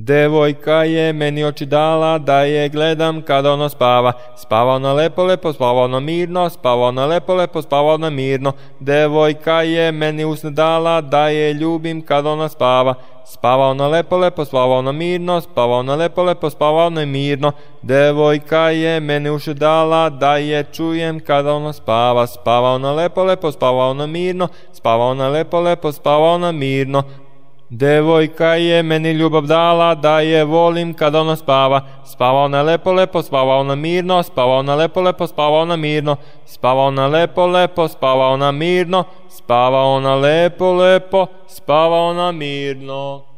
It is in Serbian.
Devojka je meni oči dala da je gledam kada ono spava. Spava ona lepo, lepo, spava ona mirno, spava ona lepo, lepo, spava ona mirno. Devojka je meni usne dala da je ljubim kada ona spava. Spava ona lepo, lepo, spava ona mirno, spava ona lepo, lepo, spava ona mirno. Devojka je meni uši dala da je čujem kada ona spava. Spava ona lepo, lepo, spava ona mirno, spava ona lepo, lepo, spava ona mirno. Devojka je meni ljubav dala da je volim kada ona spava. Spava ona lepo, lepo, spava ona mirno, spava ona lepo, lepo, spava ona mirno. Spava ona lepo, lepo, spava ona mirno, spava ona lepo, lepo, spava ona mirno.